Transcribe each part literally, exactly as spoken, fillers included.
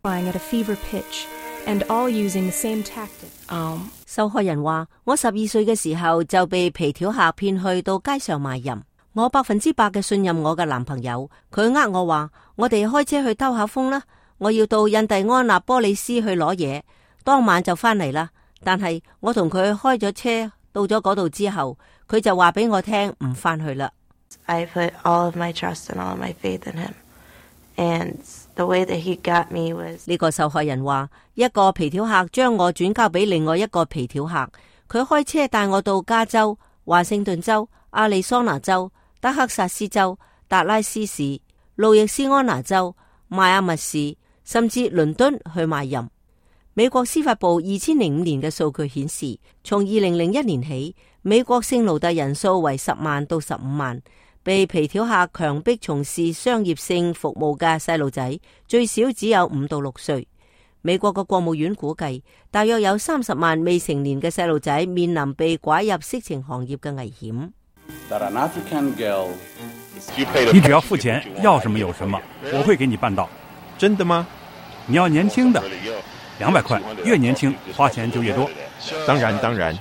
at a fever pitch, and all using the same tactic. Um, 受害人話：我十二歲嘅時候就被皮條客騙去到街上賣淫，我百分之百嘅信任我嘅男朋友，佢呃我話我哋開車去兜下風啦，我要到印第安納波利斯去攞嘢，當晚就翻嚟啦。但係我同佢開咗車到咗嗰度之後，佢就話俾我聽唔翻去啦。I put all of my trust and all of my faith in him, and the way that he got me was 呢個受害人話，一個皮條客將我轉交俾另外一個皮條客，佢開車帶我到加州、華盛頓州、亞利桑那州、德克薩斯州、達拉斯市、路易斯安那州、邁阿密市，甚至倫敦去賣淫。美國司法部二千零五年嘅數據顯示，從二零零一年起，美國性奴隸人數為十萬到十五萬，被皮條客強迫從事商業性服務嘅細路仔最少只有五到六歲。美國嘅國務院估計，大約有三十萬未成年嘅細路仔面臨被拐入色情行業嘅危險。你只要付錢，要什麼有什麼，我會給你辦到。真的嗎？你要年輕的，兩百塊，越年輕花錢就越多。當然當然。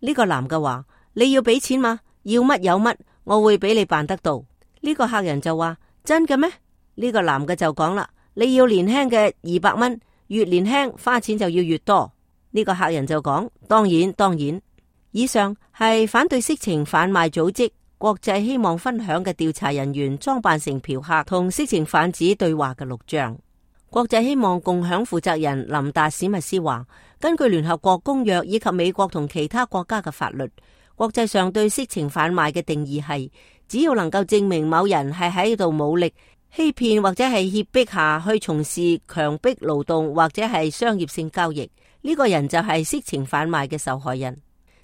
呢個男嘅話：你要俾錢嗎？要乜有乜，我會俾你辦得到。呢個客人就話：真嘅咩？呢個男嘅就講啦：你要年輕嘅二百蚊，越年輕花錢就要越多。呢個客人就講：當然當然。以上係反對色情販賣組織國際希望分享嘅調查人員裝扮成嫖客同色情販子對話嘅錄像。國際希望共享負責人林達史密斯話：根據聯合國公約以及美國同其他國家嘅法律，國際上對色情販賣嘅定義係，只要能夠證明某人係喺度武力欺騙或者係脅迫下去從事強迫勞動或者係商業性交易，呢個人就係色情販賣嘅受害人。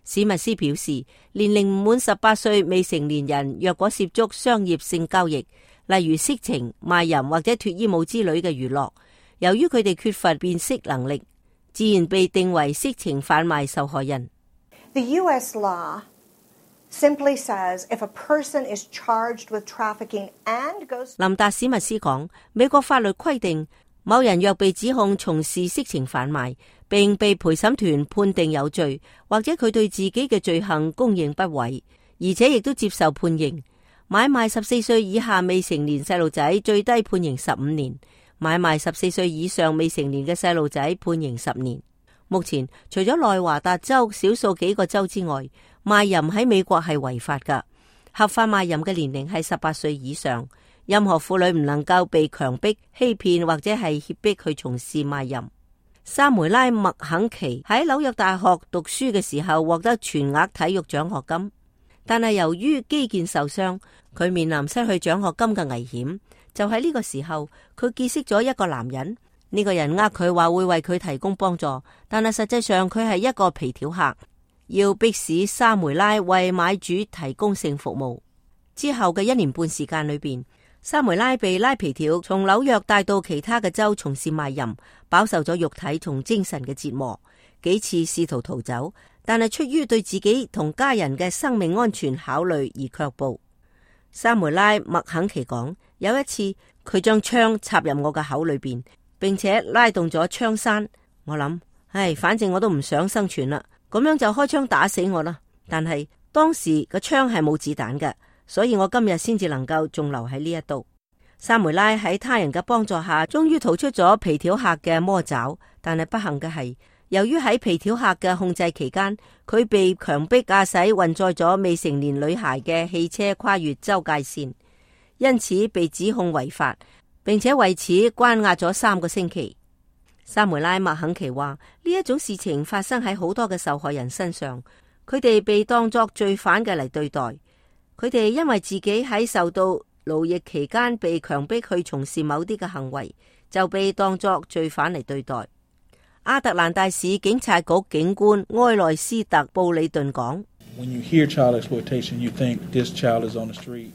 史密斯表示，年齡唔滿十八歲未成年人若果涉足商業性交易，例如色情、賣淫或者脫衣舞之類嘅娛樂，由於佢哋缺乏辨識能力，自然被定為色情販賣受害人。The U S law simply says if a person is charged with trafficking and goes 林達史密斯講，美國法律規定，某人若被指控從事色情販賣，並被陪審團判定有罪，或者佢對自己嘅罪行供認不諱，而且亦都接受判刑。買賣十四歲以下未成年細路仔最低判刑十五年，買賣十四歲以上未成年嘅細路仔判刑十年。目前除咗內華達州少數幾個州之外，賣淫喺美國係違法噶。合法賣淫嘅年齡係十八歲以上，任何婦女唔能夠被強迫、欺騙或者係脅迫去從事賣淫。沙梅拉·麥肯奇喺紐約大學讀書嘅時候獲得全額體育獎學金，但係由於肌腱受傷，佢面臨失去獎學金嘅危險。就喺呢個時候，佢結識咗一個男人。呢個人呃佢話會為佢提供幫助，但係實際上佢係一個皮條客，要迫使沙梅拉為買主提供性服務。之後嘅一年半時間裏邊，沙梅拉被拉皮條從紐約帶到其他嘅州從事賣淫，飽受咗肉體同精神嘅折磨，幾次試圖逃走，但係出於對自己同家人嘅生命安全考慮而卻步。沙梅拉·麥肯奇講，有一次佢將槍插入我嘅口裏邊，並且拉動咗槍栓。我諗，唉，反正我都唔想生存啦，咁樣就開槍打死我啦。但係當時個槍係冇子彈嘅，所以我今日先至能夠仲留喺呢一度。沙梅拉喺他人嘅幫助下，終於逃出咗皮條客嘅魔爪。但係不幸嘅係，由於喺皮條客嘅控制期間，佢被強迫駕駛運載咗未成年女孩嘅汽車跨越州界線，因此被指控違法，並且為此關押咗三個星期。沙梅拉·麥肯奇話，呢一種事情發生喺好多嘅受害人身上，佢哋被當作罪犯嘅嚟對待。佢哋因為自己喺受到奴役期間被強迫去從事某啲嘅行為，就被當作罪犯嚟對待。亞特蘭大市警察局警官埃萊斯特·布里頓講，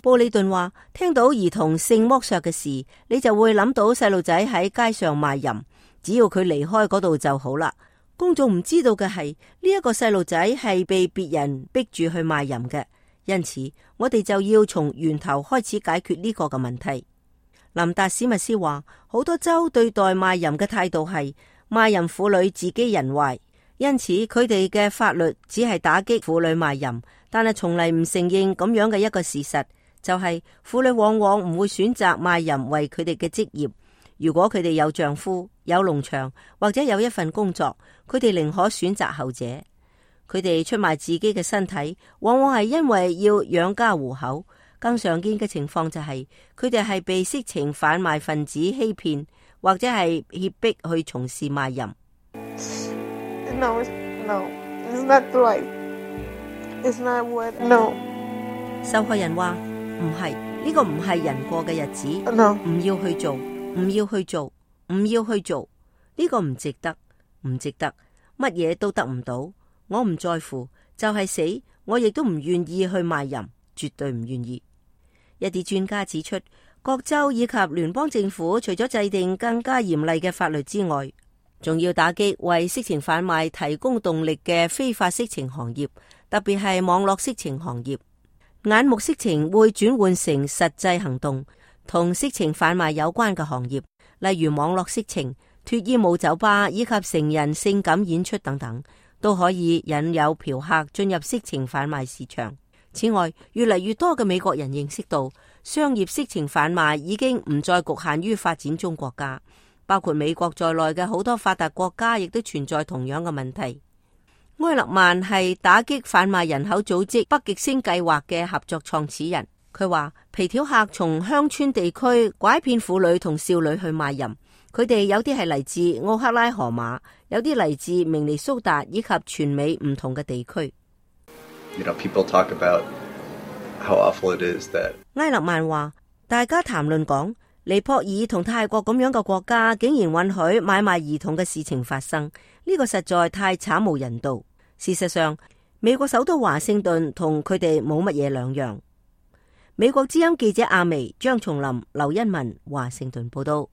布里頓話，聽到兒童性剝削嘅事，你就會諗到細路仔喺街上賣淫，只要佢離開嗰度就好啦。公眾唔知道嘅係，呢一個細路仔係被別人逼住去賣淫嘅。因此，我哋就要從源頭開始解決呢個嘅問題。林達史密斯話，好多州對待賣淫嘅態度係賣淫婦女自己人壞，因此佢哋嘅法律只係打擊婦女賣淫，但係從嚟唔承認咁樣嘅一個事實，就係婦女往往唔會選擇賣淫為佢哋嘅職業。如果佢哋有丈夫、有農場或者有一份工作，佢哋寧可選擇後者。佢哋出賣自己嘅身體，往往係因為要養家糊口。更常見嘅情況就係佢哋係被色情販賣分子欺騙，或者係脅迫去從事賣淫。No, no, it's not right. It's not what. No. 受害人話唔係，呢個唔係人過嘅日子。No. 唔要去做，唔要去做，唔要去做，呢個唔值得，唔值得，乜嘢都得唔到。我唔在乎，就係死，我亦都唔願意去賣淫，絕對唔願意。一啲專家指出，各州以及聯邦政府除咗制定更加嚴厲嘅法律之外，仲要打擊為色情販賣提供動力嘅非法色情行業，特別係網絡色情行業。眼目色情會轉換成實際行動，同色情販賣有關嘅行業，例如網絡色情、脫衣舞酒吧以及成人性感演出等等，都可以引誘嫖客進入色情販賣市場。此外，越嚟越多嘅美國人認識到，商業色情販賣已經唔再局限於發展中國家，包括美國在內嘅好多發達國家亦都存在同樣嘅問題。埃勒曼係打擊販賣人口組織北極星計劃嘅合作創始人，佢話皮條客從鄉村地區拐騙婦女同少女去賣淫，佢哋有啲係嚟自奧克拉荷馬，有啲嚟自明尼蘇達以及全美唔同嘅地區。You know, people talk about how awful it is that 埃勒曼話，大家談論講尼泊爾同泰國咁樣嘅國家竟然允許買賣兒童嘅事情發生，呢個實在太慘無人道。事實上，美國首都華盛頓同佢哋冇乜嘢兩樣。美國之音記者阿薇、張松林、劉恩文，華盛頓報道。